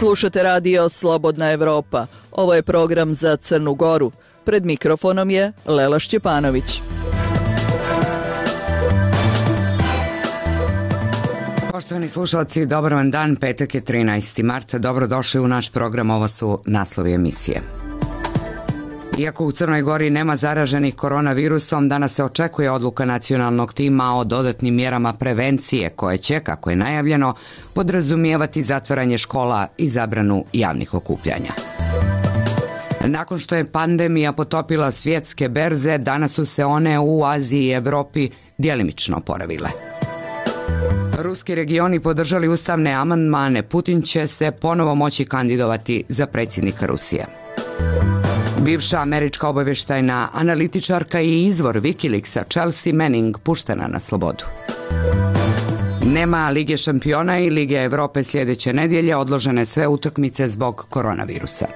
Slušate radio Slobodna Evropa. Ovo je program za Crnu Goru. Pred mikrofonom je Lela Šćepanović. Poštovani slušalci, dobar vam dan, petak je 13. marta, dobrodošli u naš program, ovo su naslovi emisije. Iako u Crnoj Gori nema zaraženih koronavirusom, danas se očekuje odluka nacionalnog tima o dodatnim mjerama prevencije koje će, kako je najavljeno, podrazumijevati zatvaranje škola i zabranu javnih okupljanja. Nakon što je pandemija potopila svjetske berze, danas su se one u Aziji i Evropi djelimično oporavile. Ruski regioni podržali ustavne amandmane, Putin će se ponovo moći kandidovati za predsjednika Rusije. Bivša američka obavještajna analitičarka i izvor Wikileaksa Chelsea Manning puštena na slobodu. Nema Lige šampiona i Lige Europe sljedeće nedjelje, odložene sve utakmice zbog koronavirusa.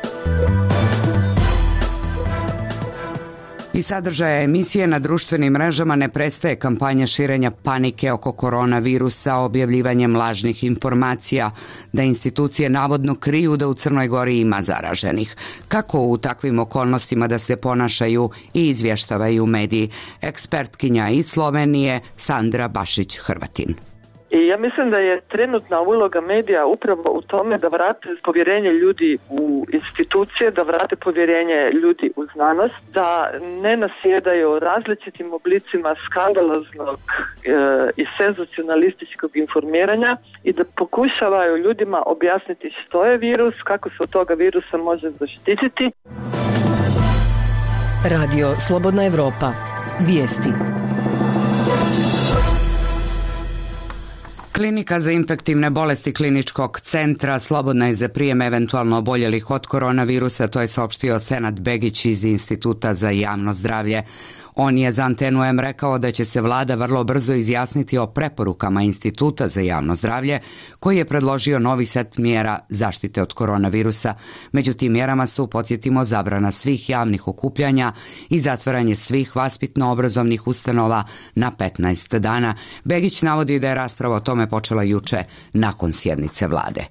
I sadržaja emisije na društvenim mrežama ne prestaje kampanja širenja panike oko koronavirusa objavljivanjem lažnih informacija da institucije navodno kriju da u Crnoj Gori ima zaraženih. Kako u takvim okolnostima da se ponašaju i izvještavaju mediji? Ekspertkinja iz Slovenije Sandra Bašić-Hrvatin. I ja mislim da je trenutna uloga medija upravo u tome da vrate povjerenje ljudi u institucije, da vrate povjerenje ljudi u znanost, da ne nasjedaju različitim oblicima skandaloznog i senzacionalističkog informiranja i da pokušavaju ljudima objasniti što je virus, kako se od toga virusa može zaštititi. Radio Slobodna Evropa. Vijesti. Klinika za infektivne bolesti Kliničkog centra slobodna je za prijem eventualno oboljelih od koronavirusa, to je saopštio Senad Begić iz Instituta za javno zdravlje. On je za Antenu M rekao da će se vlada vrlo brzo izjasniti o preporukama Instituta za javno zdravlje, koji je predložio novi set mjera zaštite od koronavirusa. Među tim mjerama su, podsjetimo, zabrana svih javnih okupljanja i zatvaranje svih vaspitno-obrazovnih ustanova na 15 dana. Begić navodi da je rasprava o tome počela juče nakon sjednice vlade.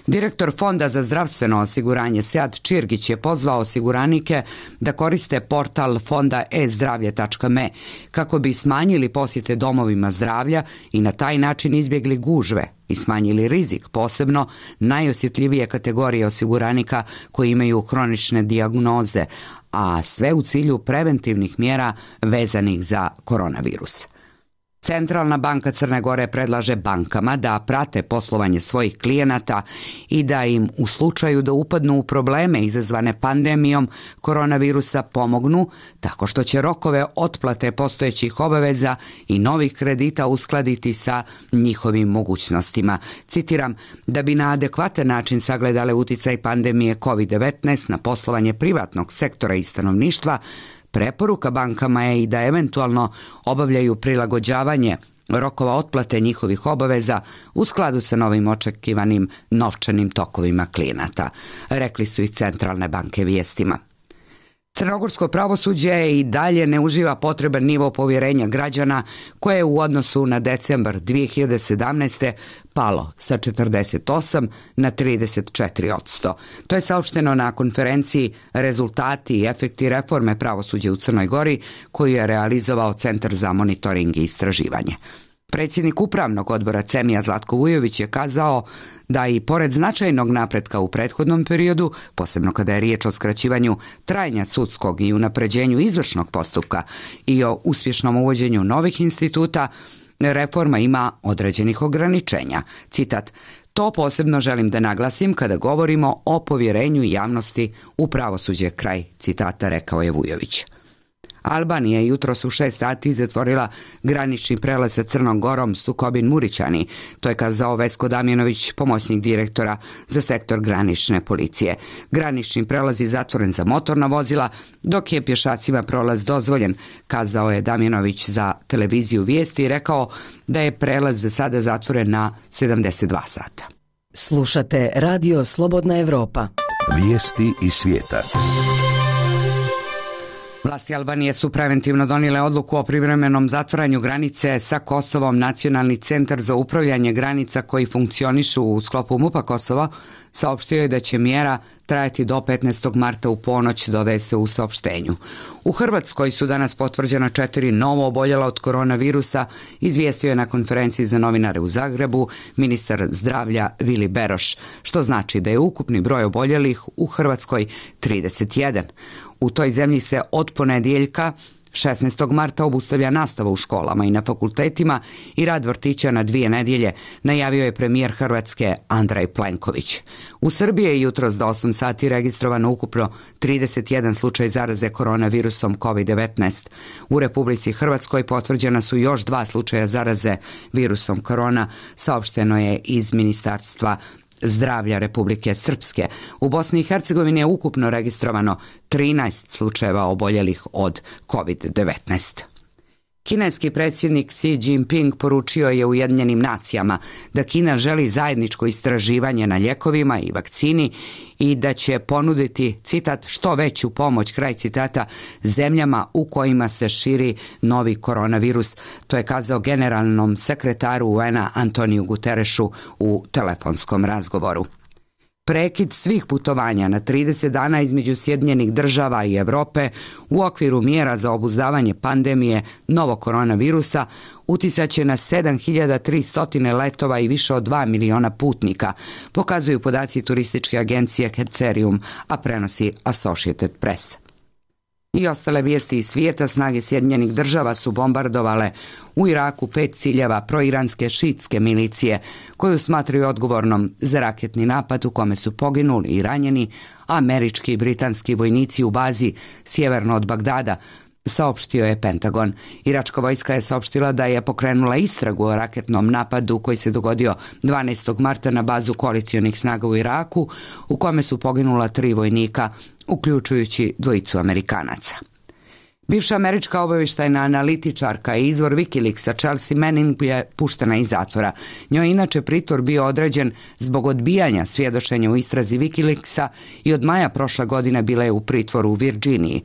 Direktor Fonda za zdravstveno osiguranje Sead Čirgić je pozvao osiguranike da koriste portal fonda e-zdravlje.me kako bi smanjili posjete domovima zdravlja i na taj način izbjegli gužve i smanjili rizik, posebno najosjetljivije kategorije osiguranika koji imaju hronične dijagnoze, a sve u cilju preventivnih mjera vezanih za koronavirus. Centralna banka Crne Gore predlaže bankama da prate poslovanje svojih klijenata i da im u slučaju da upadnu u probleme izazvane pandemijom koronavirusa pomognu tako što će rokove otplate postojećih obaveza i novih kredita uskladiti sa njihovim mogućnostima. Citiram, da bi na adekvatan način sagledale uticaj pandemije COVID-19 na poslovanje privatnog sektora i stanovništva, preporuka bankama je i da eventualno obavljaju prilagođavanje rokova otplate njihovih obaveza u skladu sa novim očekivanim novčanim tokovima klijenata, rekli su i centralne banke vijestima. Crnogorsko pravosuđe i dalje ne uživa potreban nivo povjerenja građana koje je u odnosu na decembar 2017. palo sa 48 na 34%. To je saopšteno na konferenciji Rezultati i efekti reforme pravosuđa u Crnoj Gori koju je realizovao Centar za monitoring i istraživanje. Predsjednik upravnog odbora CEMI-a Zlatko Vujović je kazao da i pored značajnog napretka u prethodnom periodu, posebno kada je riječ o skraćivanju trajanja sudskog i unapređenju izvršnog postupka i o uspješnom uvođenju novih instituta, reforma ima određenih ograničenja. Citat, to posebno želim da naglasim kada govorimo o povjerenju javnosti u pravosuđe, kraj citata, rekao je Vujović. Albanija je jutros u 6 sati zatvorila granični prelaz sa Crnom Gorom Sukobin-Murićani. To je kazao Vesko Damjanović, pomoćnik direktora za sektor granične policije. Granični prelaz je zatvoren za motorna vozila, dok je pješacima prolaz dozvoljen, kazao je Damjanović za televiziju Vijesti i rekao da je prelaz za sada zatvoren na 72 sata. Slušate Radio Slobodna Evropa. Vijesti iz svijeta. Vlasti Albanije su preventivno donijele odluku o privremenom zatvaranju granice sa Kosovom. Nacionalni centar za upravljanje granica koji funkcionišu u sklopu MUP-a Kosova saopštio je da će mjera trajati do 15. marta u ponoć, dodaje se u saopštenju. U Hrvatskoj su danas potvrđena 4 novo oboljela od koronavirusa, izvijestio je na konferenciji za novinare u Zagrebu ministar zdravlja Vili Beroš, što znači da je ukupni broj oboljelih u Hrvatskoj 31. U toj zemlji se od ponedjeljka 16. marta obustavlja nastava u školama i na fakultetima i rad vrtića na 2 nedjelje, najavio je premijer Hrvatske Andrej Plenković. U Srbiji je jutros do 8 sati registrovano ukupno 31 slučaj zaraze koronavirusom COVID-19. U Republici Hrvatskoj potvrđena su još 2 slučaja zaraze virusom korona, saopšteno je iz Ministarstva zdravlja Republike Srpske. U Bosni i Hercegovini je ukupno registrovano 13 slučajeva oboljelih od COVID-19. Kineski predsjednik Xi Jinping poručio je Ujedinjenim nacijama da Kina želi zajedničko istraživanje na ljekovima i vakcini i da će ponuditi, citat, što veću pomoć, kraj citata, zemljama u kojima se širi novi koronavirus. To je kazao generalnom sekretaru UN-a Antoniju Guterešu u telefonskom razgovoru. Prekid svih putovanja na 30 dana između Sjedinjenih Država i Europe u okviru mjera za obuzdavanje pandemije novog koronavirusa uticat će na 7300 letova i više od 2 miliona putnika, pokazuju podaci turističke agencije Hercerium, a prenosi Associated Press. I ostale vijesti iz svijeta. Snage Sjedinjenih Država su bombardovale u Iraku 5 ciljeva proiranske šiitske milicije koju smatraju odgovornom za raketni napad u kome su poginuli i ranjeni američki i britanski vojnici u bazi sjeverno od Bagdada, saopštio je Pentagon. Iračka vojska je saopštila da je pokrenula istragu o raketnom napadu koji se dogodio 12. marta na bazu koalicionih snaga u Iraku, u kome su poginula 3 vojnika, uključujući 2 Amerikanaca. Bivša američka obavještajna analitičarka i izvor Wikileaksa Chelsea Manning je puštena iz zatvora. Njoj je inače pritvor bio određen zbog odbijanja svjedočenja u istrazi Wikileaksa i od maja prošle godine bila je u pritvoru u Virginiji.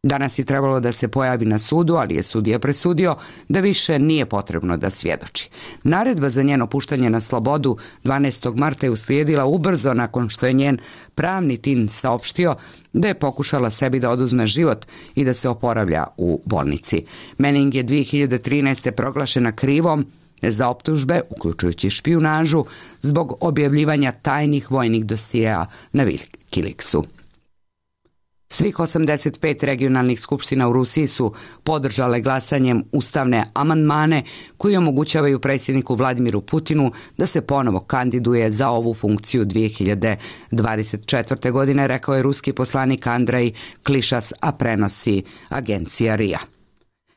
Danas je trebalo da se pojavi na sudu, ali je sudija presudio da više nije potrebno da svjedoči. Naredba za njeno puštanje na slobodu 12. marta je uslijedila ubrzo nakon što je njen pravni tim saopštio da je pokušala sebi da oduzme život i da se oporavlja u bolnici. Manning je 2013. proglašena krivom za optužbe, uključujući špijunažu, zbog objavljivanja tajnih vojnih dosjea na Wikileaksu. Svih 85 regionalnih skupština u Rusiji su podržale glasanjem ustavne amandmane koji omogućavaju predsjedniku Vladimiru Putinu da se ponovo kandiduje za ovu funkciju 2024. godine, rekao je ruski poslanik Andrej Klišas, a prenosi agencija RIA.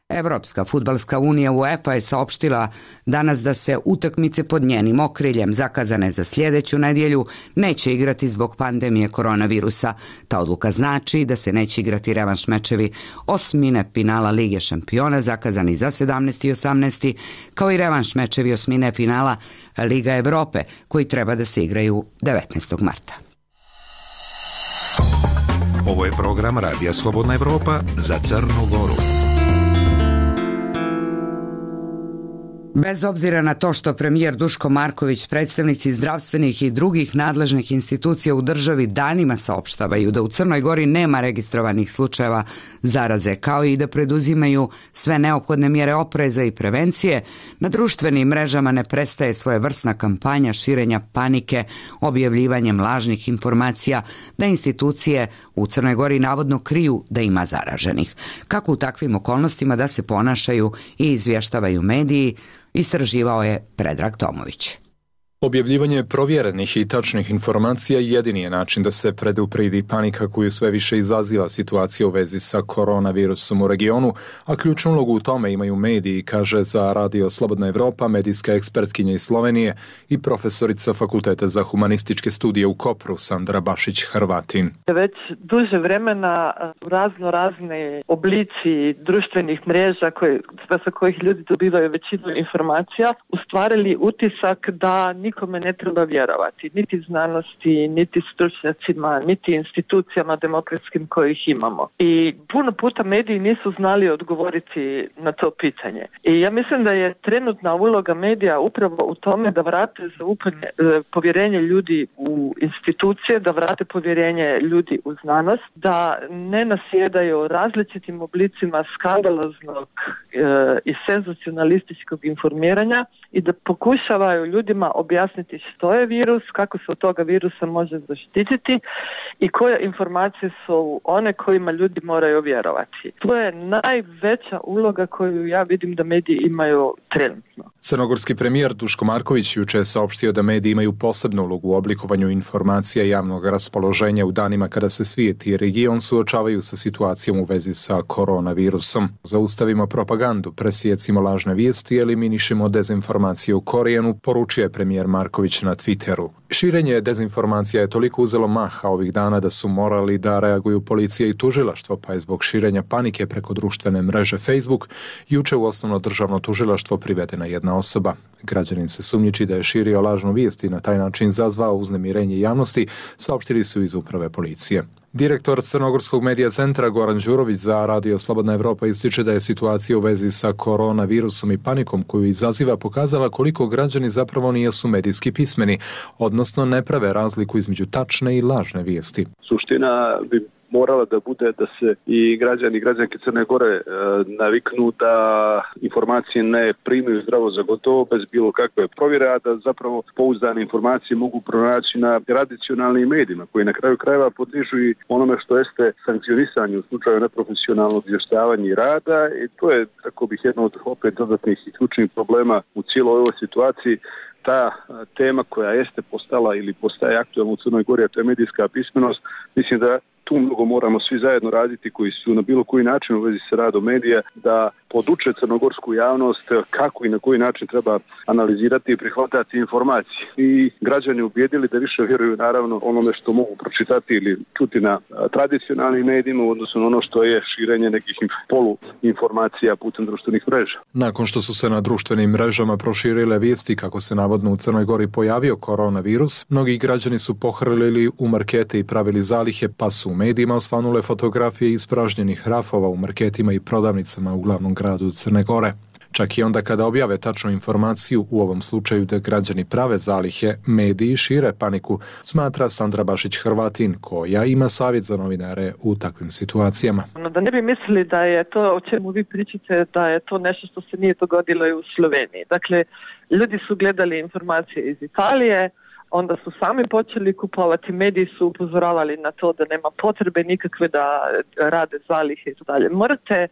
Evropska fudbalska unija UEFA je saopštila danas da se utakmice pod njenim okriljem zakazane za sljedeću nedjelju neće igrati zbog pandemije koronavirusa. Ta odluka znači da se neće igrati revanš mečevi osmine finala Lige šampiona zakazani za 17. i 18. kao i revanš mečevi osmine finala Liga Europe koji treba da se igraju 19. marta. Ovo je program Radija Slobodna Evropa za Crnu Goru. Bez obzira na to što premijer Duško Marković, predstavnici zdravstvenih i drugih nadležnih institucija u državi danima saopštavaju da u Crnoj Gori nema registrovanih slučajeva zaraze, kao i da preduzimaju sve neophodne mjere opreza i prevencije, na društvenim mrežama ne prestaje svojevrsna kampanja širenja panike, objavljivanjem lažnih informacija da institucije u Crnoj Gori navodno kriju da ima zaraženih. Kako u takvim okolnostima da se ponašaju i izvještavaju mediji, istraživao je Predrag Tomović. Objavljivanje provjerenih i tačnih informacija jedini je način da se predupredi panika koju sve više izaziva situacija u vezi sa koronavirusom u regionu, a ključnu ulogu u tome imaju mediji, kaže za Radio Slobodna Evropa medijska ekspertkinja iz Slovenije i profesorica Fakulteta za humanističke studije u Kopru Sandra Bašić-Hrvatin. Već duže vremena razne oblici društvenih mreža sa kojih ljudi dobivaju većinu informacija ustvarili utisak da nikome ne treba vjerovati, niti znanosti, niti stručnjacima, niti institucijama demokratskim kojih imamo. I puno puta mediji nisu znali odgovoriti na to pitanje. I ja mislim da je trenutna uloga medija upravo u tome da vrate povjerenje ljudi u institucije, da vrate povjerenje ljudi u znanost, da ne nasjedaju različitim oblicima skandaloznog i senzacionalističkog informiranja i da pokušavaju ljudima objasniti što je virus, kako se od toga virusa može zaštititi i koje informacije su one kojima ljudi moraju vjerovati. To je najveća uloga koju ja vidim da mediji imaju trenutno. Crnogorski premijer Duško Marković juče je saopštio da mediji imaju posebnu ulogu u oblikovanju informacija javnog raspoloženja u danima kada se svijet i region suočavaju sa situacijom u vezi sa koronavirusom. Zaustavimo propagandu, presijecimo lažne vijesti i eliminišemo dezinformacije u korijenu, poručio je premijer Marković na Twitteru. Širenje dezinformacija je toliko uzelo maha ovih dana da su morali da reaguju policija i tužilaštvo, pa je zbog širenja panike preko društvene mreže Facebook juče u osnovno državno tužilaštvo privedena jedna osoba. Građanin se sumnjiči da je širio lažnu vijest i na taj način izazvao uznemirenje javnosti, saopštili su iz uprave policije. Direktor Crnogorskog medija centra Goran Đurović za Radio Slobodna Evropa ističe da je situacija u vezi sa koronavirusom i panikom koju izaziva pokazala koliko građani zapravo nisu medijski pismeni, odnosno ne prave razliku između tačne i lažne vijesti. Suština bi morala da bude da se i građani i građanke Crne Gore naviknu da informacije ne primaju zdravo za gotovo bez bilo kakve provjere, a da zapravo pouzdane informacije mogu pronaći na tradicionalnim medijima koji na kraju krajeva podliježu i onome što jeste sankcionisanje u slučaju neprofesionalnog izvještavanja i rada, i to je, tako bih, jedno od opet dodatnih i ključnih problema u cijeloj ovoj situaciji. Ta tema koja jeste postala ili postaje aktualna u Crnoj Gori, a to je medijska pismenost, mislim da tu mnogo moramo svi zajedno raditi koji su na bilo koji način u vezi sa radom medija, da poduče crnogorsku javnost kako i na koji način treba analizirati i prihvatati informacije. I građani ubijedili da više vjeruju naravno onome što mogu pročitati ili čuti na tradicionalnim medijima, odnosno na ono što je širenje nekih poluinformacija putem društvenih mreža. Nakon što su se na društvenim mrežama proširile vijesti kako se navodno u Crnoj Gori pojavio koronavirus, mnogi građani su pohrlili u markete i pravili zalihe, pa su u medijima osvanule fotografije ispražnjenih rafova u marketima i prodavnicama u glavnom gradu Crne Gore. Čak i onda kada objave tačnu informaciju, u ovom slučaju da građani prave zalihe, mediji šire paniku, smatra Sandra Bašić-Hrvatin, koja ima savjet za novinare u takvim situacijama. Da ne bi mislili da je to o čemu vi pričate, da je to nešto što se nije dogodilo i u Sloveniji. Dakle, ljudi su gledali informacije iz Italije, onda su sami počeli kupovati, mediji su upozoravali na to da nema potrebe nikakve da rade zalihe i dalje.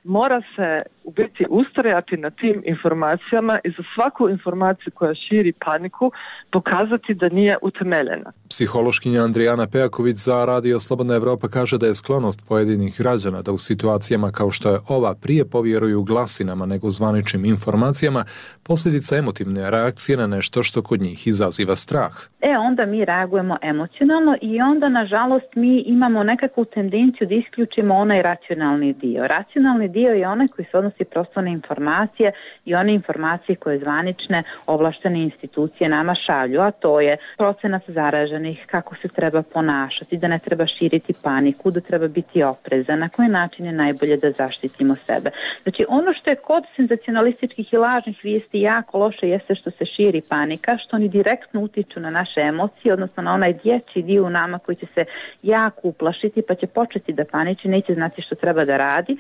Mora se u biti ustrajati na tim informacijama i za svaku informaciju koja širi paniku pokazati da nije utemeljena. Psihološkinja Andrijana Pejaković za Radio Slobodna Evropa kaže da je sklonost pojedinih građana da u situacijama kao što je ova prije povjeruju glasinama nego zvaničnim informacijama posljedica emotivne reakcije na nešto što kod njih izaziva strah. Onda mi reagujemo emocionalno i onda nažalost mi imamo nekakvu tendenciju da isključimo onaj racionalni dio. Racionalni dio je onaj koji se odnosi prosto na informacije i one informacije koje zvanične ovlaštene institucije nama šalju, a to je procenat zaraženih, kako se treba ponašati, da ne treba širiti paniku, da treba biti oprezan, na koji način je najbolje da zaštitimo sebe. Znači ono što je kod senzacionalističkih i lažnih vijesti jako loše jeste što se širi panika, što oni direktno utiču na naše emocije, odnosno na onaj dječji dio u nama koji će se jako uplašiti pa će početi da paniči, neće znati što treba da radi,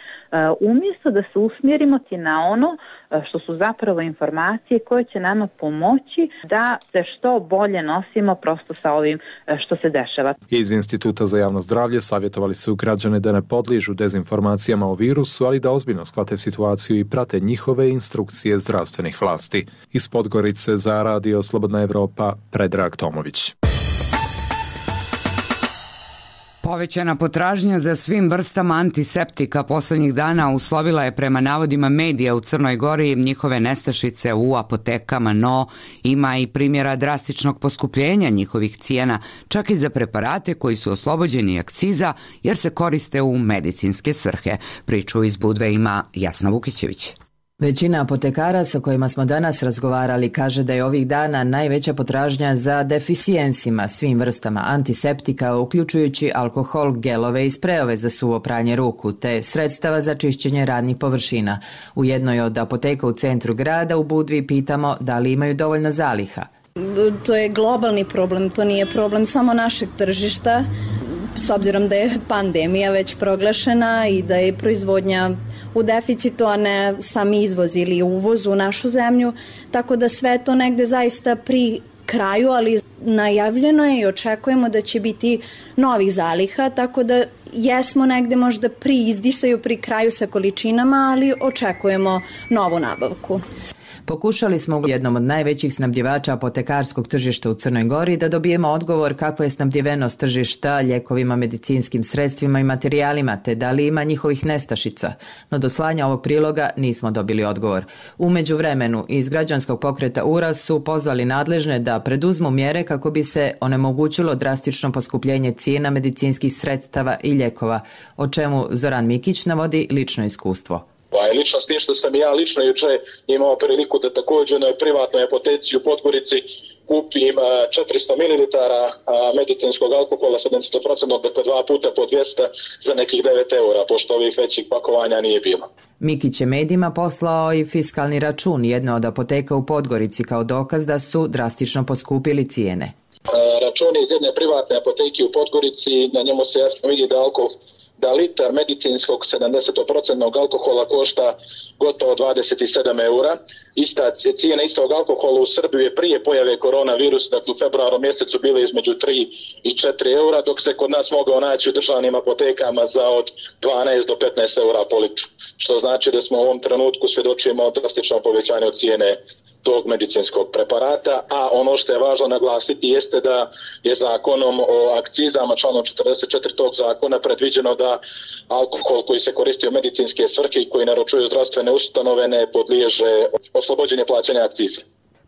umjesto da se usmjerimo na ono što su zapravo informacije koje će nama pomoći da se što bolje nosimo prosto sa ovim što se dešava. Iz Instituta za javno zdravlje savjetovali su građane da ne podliježu dezinformacijama o virusu, ali da ozbiljno shvate situaciju i prate njihove instrukcije zdravstvenih vlasti. Iz Podgorice za Radio Slobodna Evropa, Predrag Tomović. Povećana potražnja za svim vrstama antiseptika posljednjih dana uslovila je prema navodima medija u Crnoj Gori njihove nestašice u apotekama, no ima i primjera drastičnog poskupljenja njihovih cijena, čak i za preparate koji su oslobođeni akciza jer se koriste u medicinske svrhe. Priču iz Budve ima Jasna Vukićević. Većina apotekara sa kojima smo danas razgovarali kaže da je ovih dana najveća potražnja za deficijensima, svim vrstama antiseptika, uključujući alkohol, gelove i sprejove za suvo pranje ruku, te sredstava za čišćenje radnih površina. U jednoj od apoteka u centru grada u Budvi pitamo da li imaju dovoljno zaliha. To je globalni problem, to nije problem samo našeg tržišta. S obzirom da je pandemija već proglašena i da je proizvodnja u deficitu, a ne sam izvoz ili uvoz u našu zemlju, tako da sve to negde zaista pri kraju, ali najavljeno je i očekujemo da će biti novih zaliha, tako da jesmo negde možda pri izdisaju, pri kraju sa količinama, ali očekujemo novu nabavku. Pokušali smo u jednom od najvećih snabdjevača apotekarskog tržišta u Crnoj Gori da dobijemo odgovor kakva je snabdjevenost tržišta ljekovima, medicinskim sredstvima i materijalima, te da li ima njihovih nestašica. No do slanja ovog priloga nismo dobili odgovor. U međuvremenu iz građanskog pokreta URAS su pozvali nadležne da preduzmu mjere kako bi se onemogućilo drastično poskupljenje cijena medicinskih sredstava i ljekova, o čemu Zoran Mikić navodi lično iskustvo. Lično s tim što sam ja lično juče imao priliku da također na privatnoj apoteci u Podgorici kupim 400 ml medicinskog alkohola 70%, dakle 2 puta po 200 za nekih 9 eura, pošto ovih većih pakovanja nije bilo. Mikić je medijima poslao i fiskalni račun jedne od apoteka u Podgorici kao dokaz da su drastično poskupili cijene. Račun iz jedne privatne apoteke u Podgorici, na njemu se jasno vidi da litar medicinskog 70% alkohola košta gotovo 27 eura. Cijena istog alkohola u Srbiji je prije pojave koronavirusa, dakle u februaru mjesecu bile između 3 i 4 eura, dok se kod nas mogao naći u državnim apotekama za od 12 do 15 eura po litru. Što znači da smo u ovom trenutku svjedočimo drastičnom povećanju cijene tog medicinskog preparata, a ono što je važno naglasiti jeste da je zakonom o akcizama, članom 44 tog zakona, predviđeno da alkohol koji se koristi u medicinske svrhe i koji naručuju zdravstvene ustanove ne podliježe oslobođenje plaćanja akcize.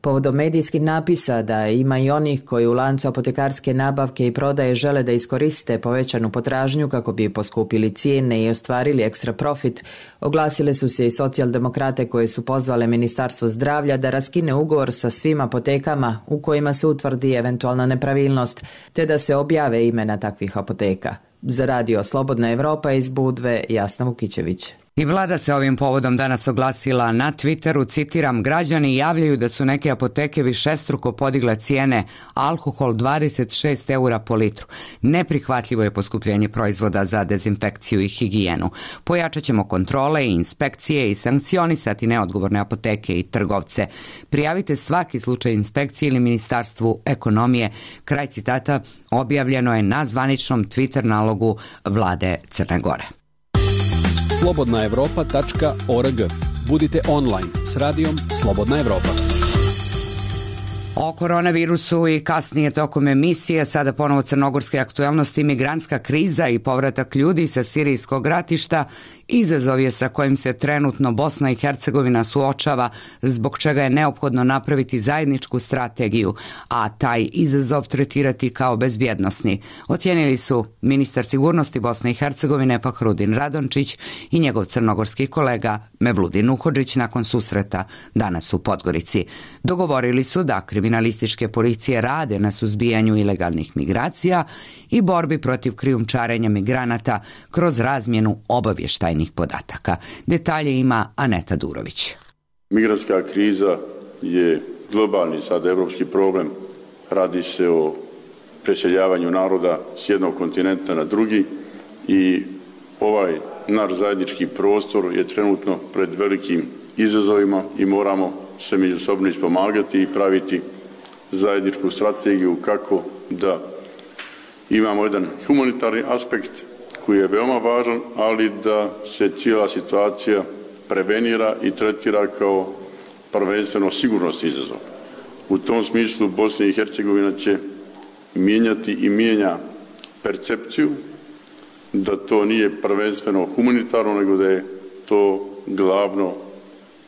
Povodom medijskih napisa da ima i onih koji u lancu apotekarske nabavke i prodaje žele da iskoriste povećanu potražnju kako bi poskupili cijene i ostvarili ekstra profit, oglasile su se i socijaldemokrate koje su pozvale Ministarstvo zdravlja da raskine ugovor sa svim apotekama u kojima se utvrdi eventualna nepravilnost, te da se objave imena takvih apoteka. Za radio Slobodna Evropa iz Budve, Jasna Vukićević. I vlada se ovim povodom danas oglasila na Twitteru, citiram, građani javljaju da su neke apoteke višestruko podigle cijene, alkohol 26 eura po litru. Neprihvatljivo je poskupljenje proizvoda za dezinfekciju i higijenu. Pojačat ćemo kontrole i inspekcije i sankcionisati neodgovorne apoteke i trgovce. Prijavite svaki slučaj inspekcije ili Ministarstvu ekonomije. Kraj citata objavljeno je na zvaničnom Twitter nalogu vlade Crne Gore. slobodnaevropa.org. Budite online s radijom Slobodna Evropa. O koronavirusu i kasnije tokom emisije, sada ponovo crnogorske aktualnosti, migrantska kriza i povratak ljudi sa sirijskog ratišta, izazov je sa kojim se trenutno Bosna i Hercegovina suočava, zbog čega je neophodno napraviti zajedničku strategiju, a taj izazov tretirati kao bezbjednosni. Ocijenili su ministar sigurnosti Bosne i Hercegovine Fahrudin Radončić i njegov crnogorski kolega Mevludin Uhodžić nakon susreta danas u Podgorici. Dogovorili su da kriminalističke policije rade na suzbijanju ilegalnih migracija i borbi protiv krijumčarenja migranata kroz razmjenu obavještajnih podataka. Detalje ima Aneta Durović. Migrantska kriza je globalni sad evropski problem. Radi se o preseljavanju naroda s jednog kontinenta na drugi i ovaj naš zajednički prostor je trenutno pred velikim izazovima i moramo se međusobno ispomagati i praviti zajedničku strategiju kako da imamo jedan humanitarni aspekt koji je veoma važan, ali da se cijela situacija prevenira i tretira kao prvenstveno sigurnosni izazov. U tom smislu Bosna i Hercegovina će mijenjati i mijenja percepciju da to nije prvenstveno humanitarno, nego da je to glavno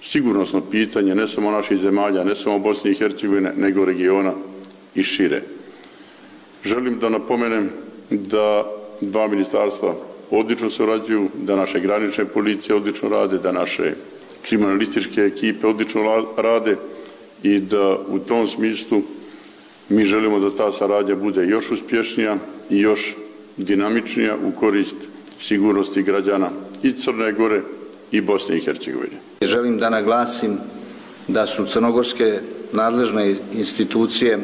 sigurnosno pitanje ne samo naših zemalja, ne samo Bosne i Hercegovine, nego regiona i šire. Želim da napomenem da dva ministarstva odlično surađuju, da naše granične policije odlično rade, da naše kriminalističke ekipe odlično rade i da u tom smislu mi želimo da ta saradnja bude još uspješnija i još dinamičnija u korist sigurnosti građana i Crne Gore i Bosne i Hercegovine. Želim da naglasim da su crnogorske nadležne institucije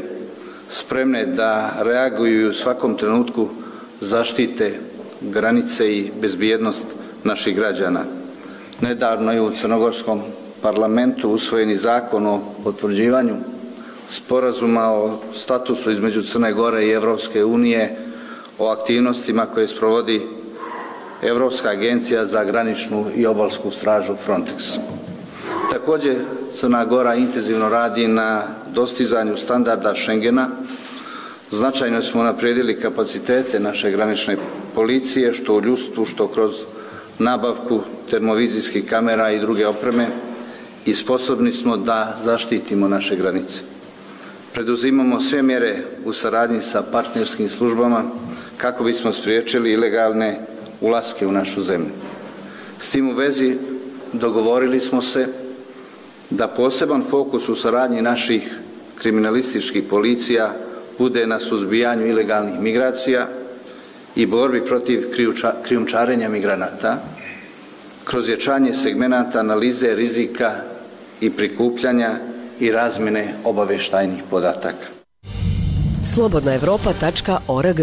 spremne da reaguju i u svakom trenutku zaštite granice i bezbjednost naših građana. Nedavno je u crnogorskom parlamentu usvojeni zakon o potvrđivanju sporazuma o statusu između Crne Gore i Europske unije o aktivnostima koje sprovodi Europska agencija za graničnu i obalsku stražu Frontex. Također Crna Gora intenzivno radi na dostizanju standarda Schengena. Značajno smo unaprijedili kapacitete naše granične policije, što u ljudstvu, što kroz nabavku termovizijskih kamera i druge opreme, i sposobni smo da zaštitimo naše granice. Preduzimamo sve mjere u saradnji sa partnerskim službama kako bismo spriječili ilegalne ulaske u našu zemlju. S tim u vezi dogovorili smo se da poseban fokus u saradnji naših kriminalističkih policija bude na suzbijanju ilegalnih migracija i borbi protiv krijumčarenja migranata kroz jačanje segmenata analize rizika i prikupljanja i razmjene obavještajnih podataka. Slobodnaevropa.org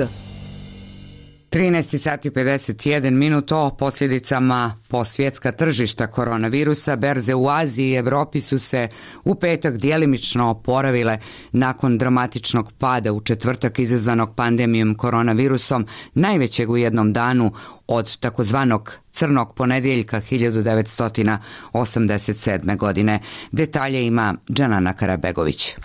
13 sati 51 minut o posljedicama po svjetska tržišta koronavirusa. Berze u Aziji i Evropi su se u petak djelimično oporavile nakon dramatičnog pada u četvrtak izazvanog pandemijom koronavirusom, najvećeg u jednom danu od takozvanog crnog ponedjeljka 1987. godine. Detalje ima Džanana Karabegović.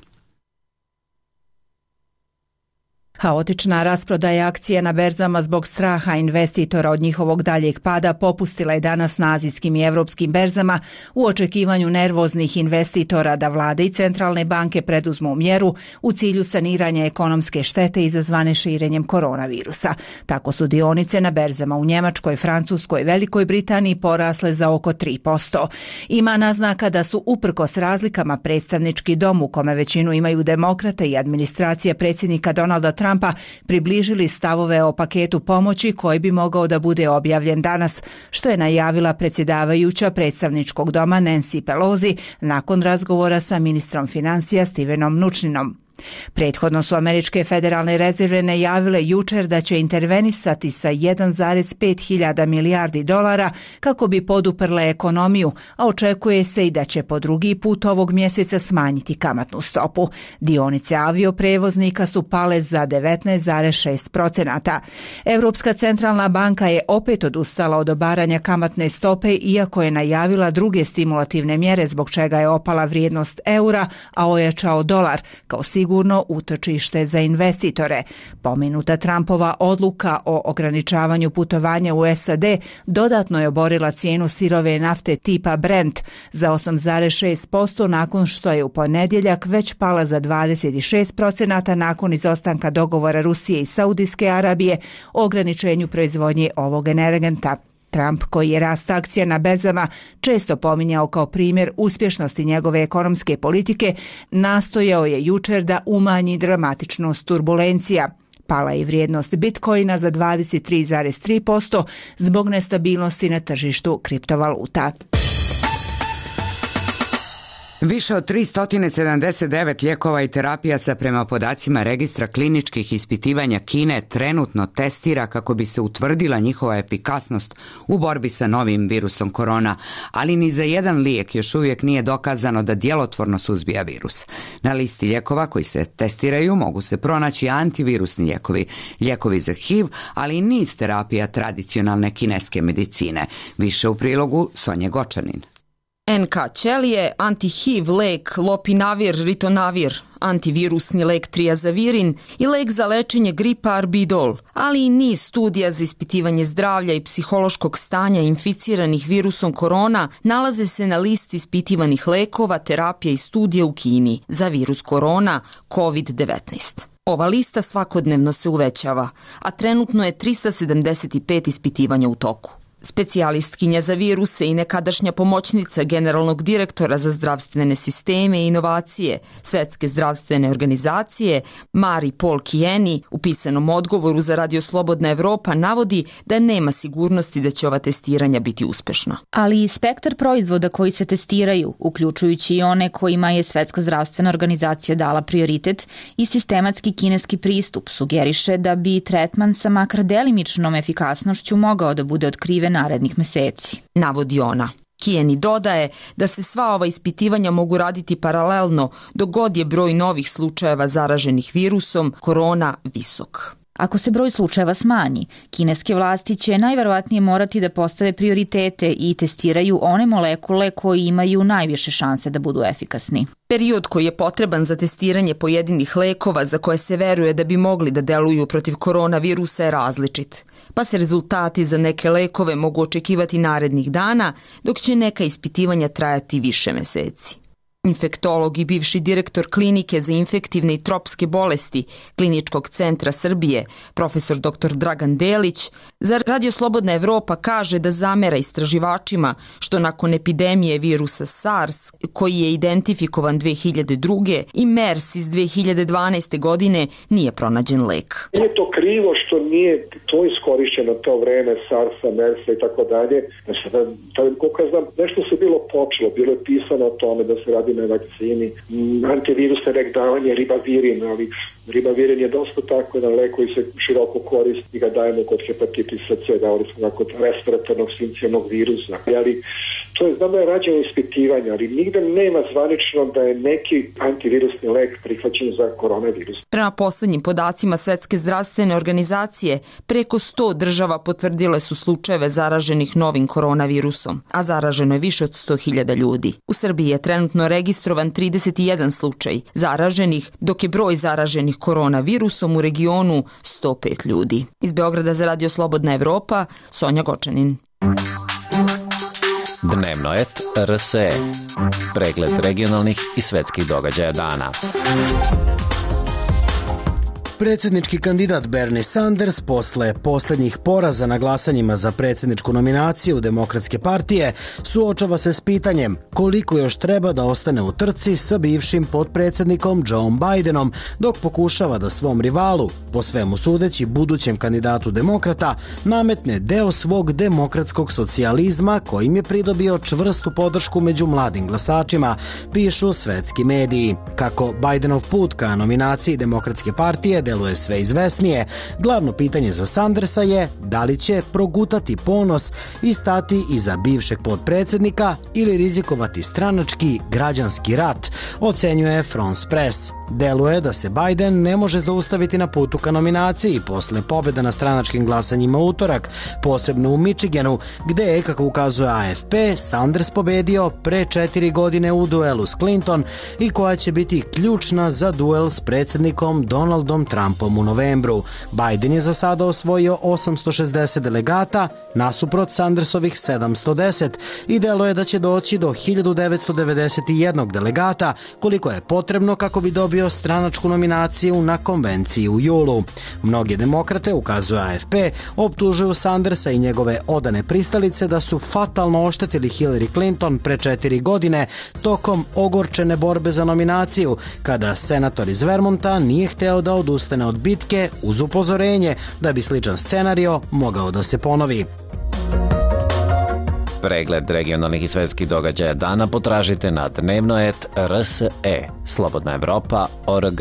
Haotična rasprodaja akcija na berzama zbog straha investitora od njihovog daljeg pada popustila je danas na azijskim i evropskim berzama u očekivanju nervoznih investitora da vlade i centralne banke preduzmu mjeru u cilju saniranja ekonomske štete izazvane širenjem koronavirusa. Tako su dionice na berzama u Njemačkoj, Francuskoj, Velikoj Britaniji porasle za oko 3%. Ima naznaka da su uprkos razlikama predstavnički dom u kome većinu imaju demokrate i administracija predsjednika Donalda Trumpa približili stavove o paketu pomoći koji bi mogao da bude objavljen danas, što je najavila predsjedavajuća predstavničkog doma Nancy Pelosi nakon razgovora sa ministrom financija Stevenom Mnuchninom. Prethodno su američke federalne rezerve najavile jučer da će intervenisati sa 1,5 hiljada milijardi dolara kako bi poduprle ekonomiju, a očekuje se i da će po drugi put ovog mjeseca smanjiti kamatnu stopu. Dionice avioprevoznika su pale za 19,6%. Europska centralna banka je opet odustala od obaranja kamatne stope, iako je najavila druge stimulativne mjere zbog čega je opala vrijednost eura, a ojačao dolar kao sigurno utočište za investitore. Pomenuta Trumpova odluka o ograničavanju putovanja u SAD dodatno je oborila cijenu sirove nafte tipa Brent za 8,6% nakon što je u ponedjeljak već pala za 26% nakon izostanka dogovora Rusije i Saudijske Arabije o ograničenju proizvodnje ovog energenta. Trump, koji je rast akcija na berzama često pominjao kao primjer uspješnosti njegove ekonomske politike, nastojao je jučer da umanji dramatičnost turbulencija. Pala je vrijednost Bitcoina za 23,3% zbog nestabilnosti na tržištu kriptovaluta. Više od 379 lijekova i terapija se prema podacima registra kliničkih ispitivanja Kine trenutno testira kako bi se utvrdila njihova efikasnost u borbi sa novim virusom korona, ali ni za jedan lijek još uvijek nije dokazano da djelotvorno suzbija virus. Na listi lijekova koji se testiraju mogu se pronaći antivirusni lijekovi, lijekovi za HIV, ali i niz terapija tradicionalne kineske medicine. Više u prilogu Sonje Gočanin. NK ćelije, anti-HIV lek lopinavir, ritonavir, antivirusni lek triazavirin i lek za lečenje gripa arbidol, ali i niz studija za ispitivanje zdravlja i psihološkog stanja inficiranih virusom korona nalaze se na listi ispitivanih lekova, terapija i studija u Kini za virus korona COVID-19. Ova lista svakodnevno se uvećava, a trenutno je 375 ispitivanja u toku. Specijalistkinja za viruse i nekadašnja pomoćnica generalnog direktora za zdravstvene sisteme i inovacije Svetske zdravstvene organizacije Marie-Paul Kieni u pisanom odgovoru za Radio Slobodna Evropa navodi da nema sigurnosti da će ova testiranja biti uspešna. Ali i spektar proizvoda koji se testiraju, uključujući i one kojima je Svetska zdravstvena organizacija dala prioritet i sistematski kineski pristup, sugeriše da bi tretman sa makar delimičnom efikasnošću mogao da bude otkriven narednih meseci. Navodi ona. Kieni dodaje da se sva ova ispitivanja mogu raditi paralelno dok god je broj novih slučajeva zaraženih virusom korona visok. Ako se broj slučajeva smanji, kineske vlasti će najverovatnije morati da postave prioritete i testiraju one molekule koji imaju najviše šanse da budu efikasni. Period koji je potreban za testiranje pojedinih lekova za koje se veruje da bi mogli da deluju protiv koronavirusa je različit, pa se rezultati za neke lekove mogu očekivati narednih dana, dok će neka ispitivanja trajati više meseci. Infektolog i bivši direktor klinike za infektivne i tropske bolesti Kliničkog centra Srbije, profesor dr. Dragan Delić, za Radio Slobodna Evropa kaže da zamera istraživačima što nakon epidemije virusa SARS, koji je identifikovan 2002. i MERS iz 2012. godine, nije pronađen lek. Nije to krivo što nije to iskorišćeno to vreme SARS-a, MERS-a i tako dalje. Koliko znam, nešto se bilo počelo, bilo je pisano o tome da se radi na vakcini, antivirusne lek davanje ribavirin, ali ribavirin je dosta tako jedan lek koji se široko koristi i ga dajemo kod hepatitisa C, davali smo kod respiratornog sincijalnog virusa. Ali to je, znam da je rađeno ispitivanje, ali nigde nema zvanično da je neki antivirusni lek prihvaćen za koronavirus. Prema poslednjim podacima Svetske zdravstvene organizacije, preko 100 država potvrdile su slučajeve zaraženih novim koronavirusom, a zaraženo je više od 100.000 ljudi. U Srbiji je trenutno registrovan 31 slučaj zaraženih, dok je broj zaraženih koronavirusom u regionu 105 ljudi. Iz Beograda za Radio Slobodna Evropa, Sonja Gočanin. Dnevnoet RSE. Pregled regionalnih i svetskih događaja dana. Predsjednički kandidat Bernie Sanders posle posljednjih poraza na glasanjima za predsjedničku nominaciju Demokratske partije suočava se s pitanjem koliko još treba da ostane u trci sa bivšim potpredsjednikom Joe Bidenom dok pokušava da svom rivalu, po svemu sudeći budućem kandidatu demokrata, nametne deo svog demokratskog socijalizma kojim je pridobio čvrstu podršku među mladim glasačima, pišu svetski mediji. Kako Bidenov put ka nominaciji Demokratske partije deluje sve izvesnije, glavno pitanje za Sandersa je da li će progutati ponos i stati iza bivšeg potpredsjednika ili rizikovati stranački građanski rat, ocenjuje France Press. Deluje da se Biden ne može zaustaviti na putu ka nominaciji posle pobjeda na stranačkim glasanjima utorak, posebno u Michiganu, gde je, kako ukazuje AFP, Sanders pobedio pre 4 godine u duelu s Clinton i koja će biti ključna za duel s predsjednikom Donaldom Trumpom u novembru. Biden je za sada osvojio 860 delegata, nasuprot Sandersovih 710 i deluje da će doći do 1991 delegata, koliko je potrebno kako bi dobio stranačku nominaciju na konvenciji u julu. Mnogi demokrate, ukazuje AFP, optužuju Sandersa i njegove odane pristalice da su fatalno oštetili Hillary Clinton pre 4 godine tokom ogorčene borbe za nominaciju, kada senator iz Vermonta nije hteo da odustane od bitke uz upozorenje da bi sličan scenario mogao da se ponovi. Pregled regionalnih i svetskih događaja dana potražite na Dnevnoet RSE, Slobodna Evropa.org.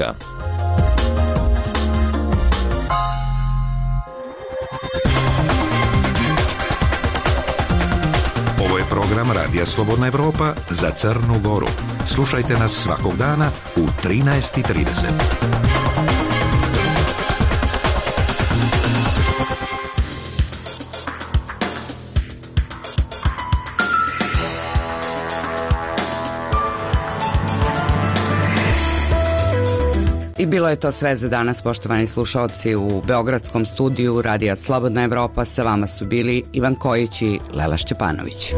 Ovo je program Radija Slobodna Evropa za Crnu Goru. Slušajte nas svakog dana u 13:30. I bilo je to sve za danas, poštovani slušalci. U beogradskom studiju Radija Slobodna Evropa sa vama su bili Ivan Kojić i Lela Šćepanović.